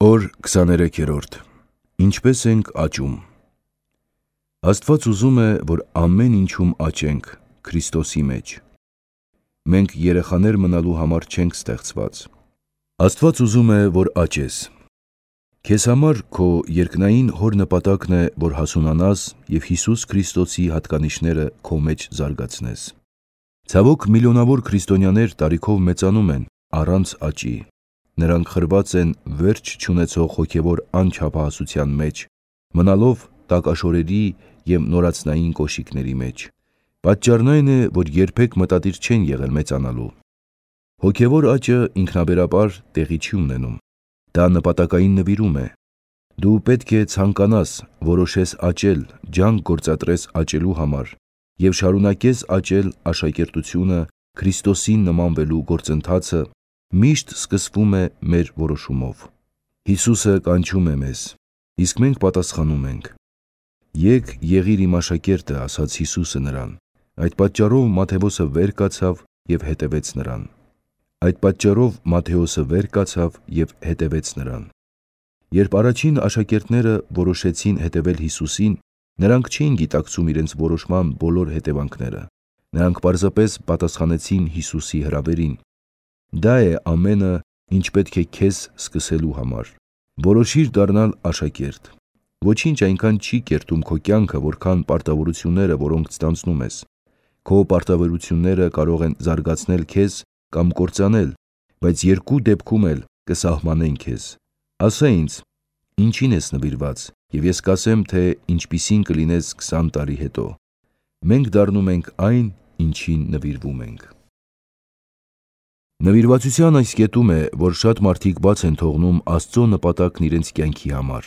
Օր 23-րդ. Ինչպես ենք աճում։ Աստված ուզում է, որ ամեն ինչում աճենք Քրիստոսի մեջ։ Մենք երեխաներ մնալու համար չենք ստեղծված։ Աստված ուզում է, որ աճես։ Քեզ համար քո երկնային Հոր նպատակն է, որ հասունանաս և Հիսուս Քրիստոսի հատկանիշները քո մեջ զարգացնես։ Ցավոք, միլիոնավոր քրիստոնյաներ տարիքով մեծանում են առանց աճի։ Նրանք խրված են վերջ չունեցող հոգևոր անչափահասության մեջ, մնալով տակաշորերի և նորածնային կոշիկների մեջ։ Պատճառն այն է, որ երբեք մտադիր չեն եղել մեծանալու։ Հոգևոր աճը ինքնաբերաբար տեղի չի ունենում։ Դա նպատակային նվիրում է։ Դու պետք է ցանկանաս, որոշես աճել, ջանք գործադրես աճելու համար և շարունակես աճել աշակերտությունը, Քրիստոսին նմանվելու գործընթացը միշտ սկսվում է մեր որոշումով։ Հիսուսը կանչում է մեզ, իսկ մենք պատասխանում ենք։ «Եկ եղիր իմ աշակերտը», ասաց Հիսուսը նրան։ Այդ պատճառով Մատթեոսը վեր կացավ և հետևեց նրան։ Երբ առաջին աշակերտները որոշեցին հետևել Հիսուսին, նրանք չէին գիտակցում իրենց որոշման բոլոր հետևանքները։ Նրանք պարզապես պատասխանեցին Հիսուսի հրավերին։ Դա է ամենը, ինչ պետք է քեզ սկսելու համար։ Որոշիր դառնալ աշակերտ։ Ոչինչ այնքան չի կերտում քո կյանքը, որքան պարտավորությունները, որոնք ստանձնում ես։ Քո պարտավորությունները կարող են զարգացնել քեզ կամ կործանել, բայց երկու դեպքում էլ կսահմանեն քեզ։ Ասա ինձ, ինչին ես նվիրված, և ես կասեմ, թե ինչպիսին կլինես 20 տարի հետո։ Մենք դառնում ենք այն, ինչին նվիրվում ենք։ Նվիրվածության այս կետում է, որ շատ մարդիկ բաց են թողնում Աստծո նպատակն իրենց կյանքի համար։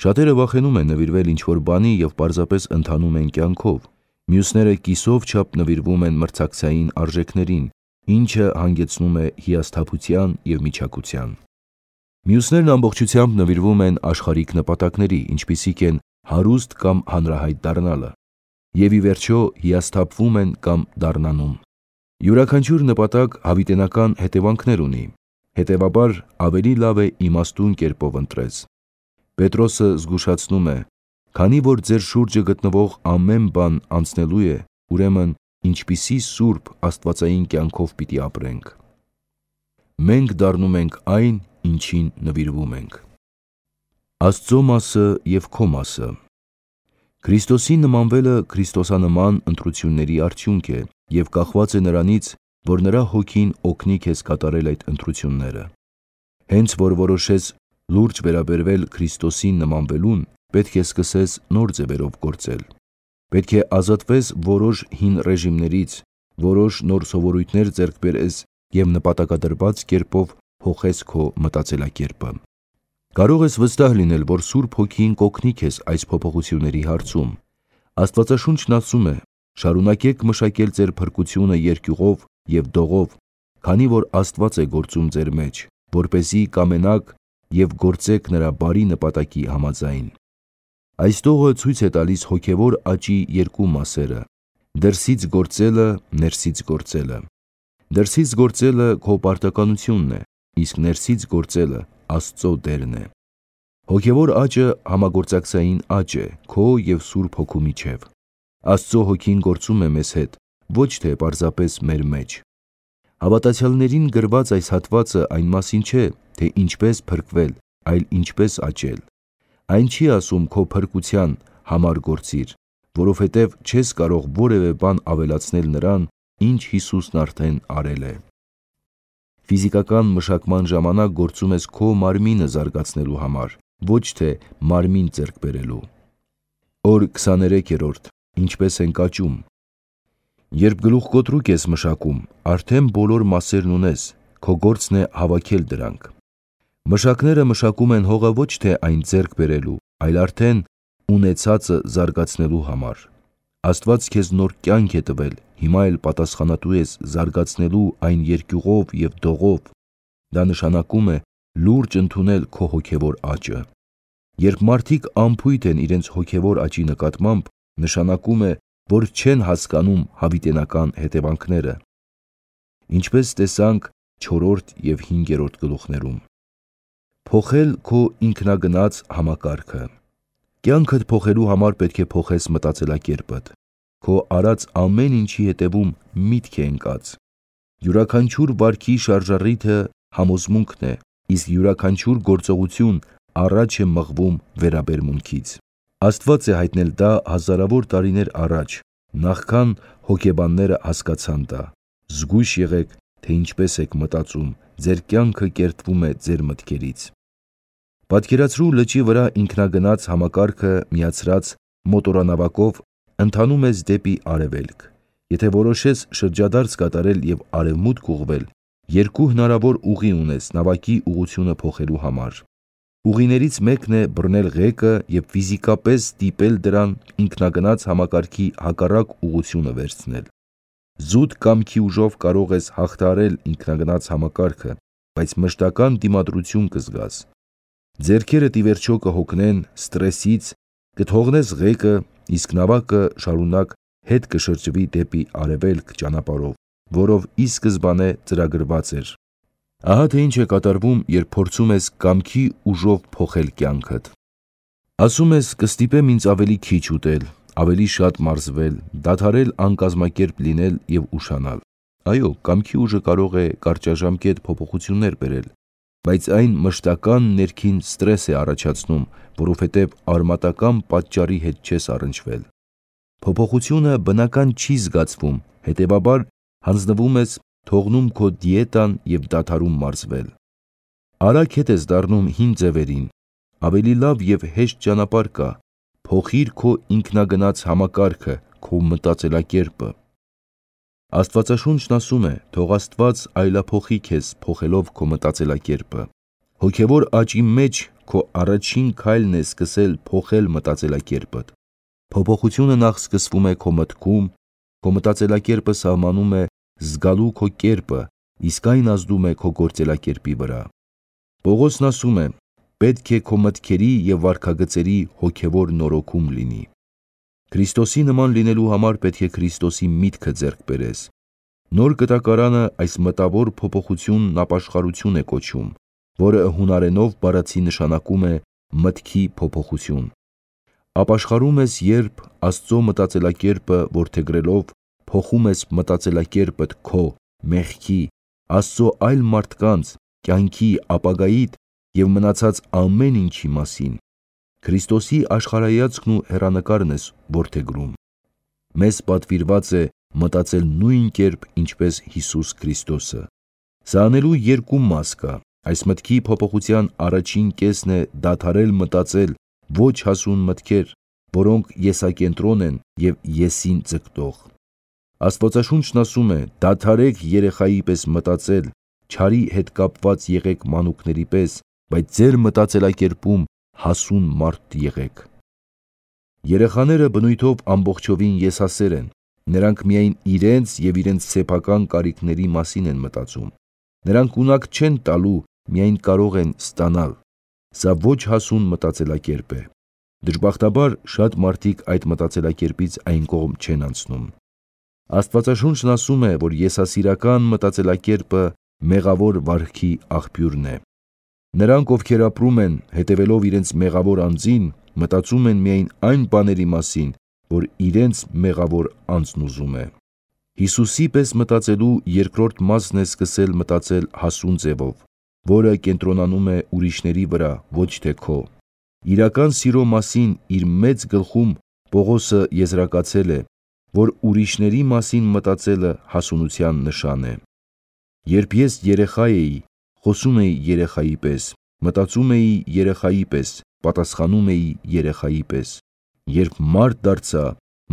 Շատերը վախենում են նվիրվել ինչ-որ բանի և պարզապես ընթանում են կյանքով։ Մյուսները կիսով չափ նվիրվում են մրցակցային արժեքներին, ինչը հանգեցնում է հիասթափության և միչակության։ Մյուսներն ամբողջությամբ նվիրվում են աշխարհիկ նպատակների, ինչպիսիք են հարուստ կամ հանրահայտ դառնալը, և ի վերջո հիասթափվում են կամ դառնանում։ Յուրաքանչյուր նպատակ հավիտենական հետևանքներ ունի, հետևաբար ավելի լավ է իմաստուն կերպով ընտրես։ Պետրոսը զգուշացնում է. «Քանի որ ձեր շուրջը գտնվող ամեն բան անցնելու է, ուրեմն ինչպիսի սուրբ աստվածային կյանքով պիտի ապրենք»։ Մենք դառնում ենք այն, ինչին նվիրվում ենք։ Աստծո մասը և քո մասը։ Քրիստոսին նմանվելը քրիստոսանման ընտրությունների արդյունք է և կախված է նրանից, որ նրա Հոգին օգնի քեզ կատարել այդ ընտրությունները։ Հենց որ որոշես լուրջ վերաբերվել Քրիստոսին նմանվելուն, պետք է սկսես նոր ձևերով գործել։ Պետք է ազատվես որոշ հին ռեժիմներից, որոշ նոր սովորույթներ ձեռք բերես և նպատակադրված կերպով փոխես քո մտածելակերպը։ Կարող ես վստահ լինել, որ Սուրբ Հոգին կօգնի քեզ այս փոփոխությունների հարցում։ Աստվածաշունչն ասում է. «Շարունակեք մշակել ձեր փրկությունը երկյուղով և դողով, քանի որ Աստված է գործում ձեր մեջ, որպեսզի կամենաք և գործեք նրա բարի նպատակի համաձայն»։ Այս տողը ցույց է տալիս հոգևոր աճի երկու մասերը՝ դրսից գործելը, ներսից գործելը։ Դրսից գործելը քո պարտականությունն է, իսկ ներսից գործելը Աստծո դերն է։ Հոգևոր աճը համագործակցային աճ է քո և Սուրբ Հոգու միջև։ Աստծո Հոգին գործում է մեզ հետ, ոչ թե պարզապես մեր մեջ։ Հավատացյալներին գրված այս հատվածը այն մասին չէ, թե ինչպես փրկվել, այլ ինչպես աճել։ Այն չի ասում քո փրկության համար գործիր, որովհետև չես կարող որևէ բան ավելացնել նրան, ինչ Հիսուսն արդեն արել է։ Ֆիզիկական մշակման ժամանակ գործում ես քո մարմինը զարգացնելու համար, ոչ թե մարմին ձեռք բերելու։ Օր 23-րդ. Ինչպես ենք աճում։ Երբ գլուխկոտրուկ ես մշակում, արդեն բոլոր մասերն ունես, քո գործն է հավաքել դրանք։ Մշակները մշակում են հողը ոչ թե այն ձեռք բերելու, այլ արդեն ունեցածը զարգացնելու համար։ Աստված քեզ նոր կյանք է տվել, հիմա էլ պատասխանատու ես զարգացնելու այն երկյուղով և դողով։ Դա նշանակում է լուրջ ընդունել քո հոգևոր աճը։ Երբ մարդիկ անփույթ են իրենց հոգևոր աճի նկատմամբ, նշանակում է, որ չեն հասկանում հավիտենական հետևանքները։ Ինչպես տեսանք 4 և 5 գլուխներում։ Փոխել քո ինքնագնաց համակարգը։ Կյանքդ փոխելու համար պետք է փոխես մտածելակերպդ։ Քո արած ամեն ինչի հետևում միտք է ընկած։ Յուրաքանչյուր վարքի շարժառիթը համոզմունքն է, իսկ յուրաքանչյուր գործողություն առաջ է մղվում վերաբերմունքից։ Աստված է հայտնել դա հազարավոր տարիներ առաջ, նախքան հոգեբանները հասկացան դա։ Զգույշ եղեք, թե ինչպես եք մտածում, ձեր կյանքը կերտվում է ձեր մտքերից։ Պատկերացրու լճի վրա ինքնագնաց համակարգը միացրած մոտորանավակով ընթանում ես դեպի արևելք։ Եթե որոշես շրջադարձ կատարել և արևմուտք ուղղվել, երկու հնարավոր ուղի ունես նավակի ուղղությունը փոխելու համար։ Ուղիներից մեկն է բռնել ղեկը և ֆիզիկապես ստիպել դրան ինքնագնաց համակարգի հակառակ ուղղությունը վերցնել։ Զուտ կամքի ուժով կարող ես հաղթահարել ինքնագնաց համակարգը, բայց մշտական դիմադրություն կզգաս։ Ձեռքերդ ի վերջո կհոգնեն ստրեսից, կթողնես ղեկը, իսկ նավակը շարունակ հետ կշրջվի դեպի արևելք ճանապարհով, որով ի սկզբանե ծրագրված էր։ Ահա թե ինչ է կատարվում, երբ փորձում ես կամքի ուժով փոխել կյանքդ։ Ասում ես կստիպեմ ինձ ավելի քիչ ուտել, ավելի շատ մարզվել, դադարել անկազմակերպ լինել և ուշանալ։ Այո, կամքի ուժը կարող է կարճաժամկետ փոփոխություններ բերել, բայց այն մշտական ներքին ստրես է առաջացնում, որովհետև արմատական պատճառի հետ չես առնչվել։ Փոփոխությունը բնական չի զգացվում, հետևաբար հանձնվում ես, թողնում քո դիետան և դադարում մարզվել։ Արագ հետ ես դառնում հին ձևերին։ Ավելի լավ և հեշտ ճանապարհ կա։ Փոխիր քո ինքնագնաց համակարգը, քո մտածելակերպը։ Աստվածաշունչն ասում է. թող Աստված այլափոխի քեզ, փոխելով քո մտածելակերպը։ Հոգևոր աճի մեջ քո առաջին քայլն է սկսել փոխել մտածելակերպդ։ Փոփոխությունը նախ սկսվում է քո մտքում, քո մտածելակերպը սահմանում է զգալու քո կերպը, իսկ այն ազդում է քո գործելակերպի վրա։ Պողոսն ասում է. պետք է քո մտքերի և վարքագծերի հոգևոր նորոգում լինի։ Քրիստոսի նման լինելու համար պետք է Քրիստոսի միտքը ձեռք բերես։ Նոր կտակարանը այս մտավոր փոփոխությունն ապաշխարություն է կոչում, որը հունարենով բառացի նշանակում է մտքի փոփոխություն։ Ապաշխարում ես, երբ Աստծո մտածելակերպը որդեգրելով փոխում ես մտածելակերպդ քո, մեղքի, Աստծո այլ մարդկանց, կյանքի, ապագայիդ և մնացած ամեն ինչի մասին։ Քրիստոսի աշխարհայացքն ու հեռանկարն ես որդեգրում։ Մեզ պատվիրված է մտածել նույն կերպ, ինչպես Հիսուս Քրիստոսը։ Սա անելու երկու մաս կա։ Այս մտքի փոփոխության առաջին կեսն է դադարել մտածել ոչ հասուն մտքեր, որոնք եսակենտրոն են և եսին ձգտող։ Աստվածաշունչն ասում է. դադարեք երեխայի պես մտածել, չարի հետ կապված եղեք մանուկների պես, բայց ձեր մտածելակերպում հասուն մարդ եղեք։ Երեխաները բնույթով ամբողջովին եսասեր են։ Նրանք միայն իրենց և իրենց սեփական կարիքների մասին են մտածում։ Նրանք ունակ չեն տալու, միայն կարող են ստանալ։ Սա ոչ հասուն մտածելակերպ է։ Դժբախտաբար, շատ մարդիկ այդ մտածելակերպից այն կողմ չեն անցնում։ Աստվածաշունչն ասում է, որ եսասիրական մտածելակերպը մեղավոր վարքի աղբյուրն է։ Նրանք, ովքեր ապրում են, հետևելով իրենց մեղավոր անձին, մտածում են միայն այն բաների մասին, որ իրենց մեղավոր անձն ուզում է։ Հիսուսի պես մտածելու երկրորդ մասն է սկսել մտածել հասուն ձևով, որը կենտրոնանում է ուրիշների վրա, ոչ թե քո։ Իրական սիրո մասին իր մեծ գլխում Պողոսը եզրակացել է, որ ուրիշների մասին մտածելը հասունության նշան է։ Երբ ես երեխա էի, խոսում էի երեխայի պես, մտածում էի երեխայի պես, պատասխանում էի երեխայի պես։ Երբ մարդ դարձա,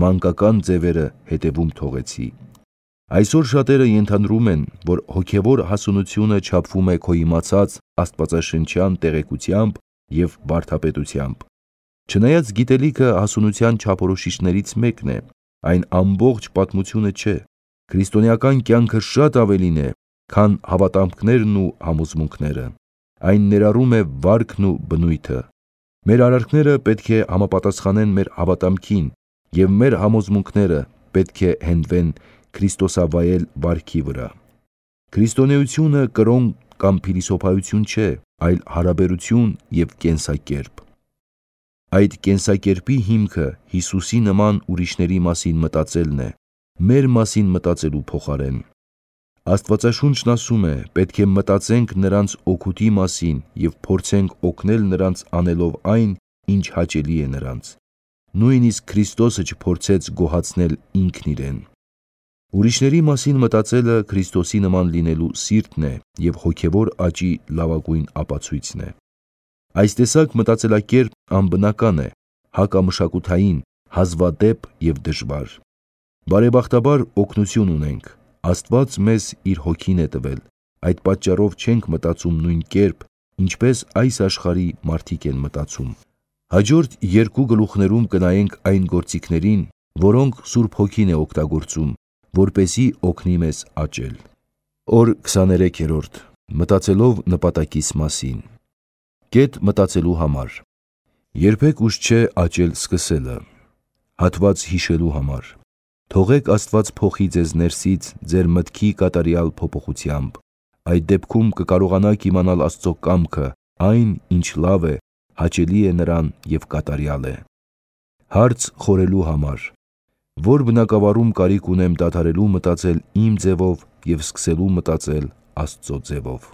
մանկական ձևերը հետևում թողեցի։ Այսօր շատերը ենթադրում են, որ հոգևոր հասունությունը չափվում է քո իմացած աստվածաշնչյան տեղեկությամբ և վարդապետությամբ։ Չնայած գիտելիքը հասունության չափորոշիչներից մեկն է, այն ամբողջ պատմությունը չէ։ Քրիստոնեական կյանքը շատ ավելին է, քան հավատամքներն ու համոզմունքները։ Այն ներառում է վարքն ու բնույթը։ Մեր արարքները պետք է համապատասխանեն մեր հավատամքին, և մեր համոզմունքները պետք է հենվեն քրիստոսավայել վարքի վրա։ Քրիստոնեությունը կրոնք կամ փիլիսոփայություն չէ, այլ հարաբերություն և կենսակերպ։ Այդ կենսակերպի հիմքը Հիսուսի նման ուրիշների մասին մտածելն է, մեր մասին մտածելու փոխարեն։ Աստվածաշունչն ասում է, պետք է մտածենք նրանց օգուտի մասին և փորձենք օգնել նրանց անելով այն, ինչ հաճելի է նրանց։ Նույնիսկ Քրիստոսը չփորձեց գոհացնել ինքն իրեն։ Ուրիշների մասին մտածելը Քրիստոսի նման լինելու սիրտն է և հոգևոր աճի լավագույն ապացույցն է։ Այս տեսակ մտածելակերպ անբնական է, հակամշակութային, հազվադեպ և դժվար։ Բարեբախտաբար օգնություն ունենք։ Աստված մեզ իր հոգին է տվել, այդ պատճառով չենք մտածում նույն կերպ, ինչպես այս աշխարհի մարդիկ են մտածում։ Հաջորդ երկու գլուխներում կնայենք այն գործիքներին, որոնք Սուրբ Հոգին է օգտագործում, որպեսզի օգնի մեզ աճել։ Օր 23-րդ. Մտածելով նպատակիս մասին։ Կետ մտածելու համար։ Երբեք ուշ չէ աճել սկսելը։ Հատված հիշելու համար։ Թողեք Աստված փոխի ձեզ ներսից ձեր մտքի կատարյալ փոփոխությամբ։ Այդ դեպքում կկարողանաք իմանալ Աստծո կամքը, այն, ինչ լավ է, հաճելի է նրան և կատարյալ է։ Հարց խորելու համար. Որ բնագավառում կարիք ունեմ դադարելու մտածել իմ ձևով և սկսելու մտածել Աստծո ձևով։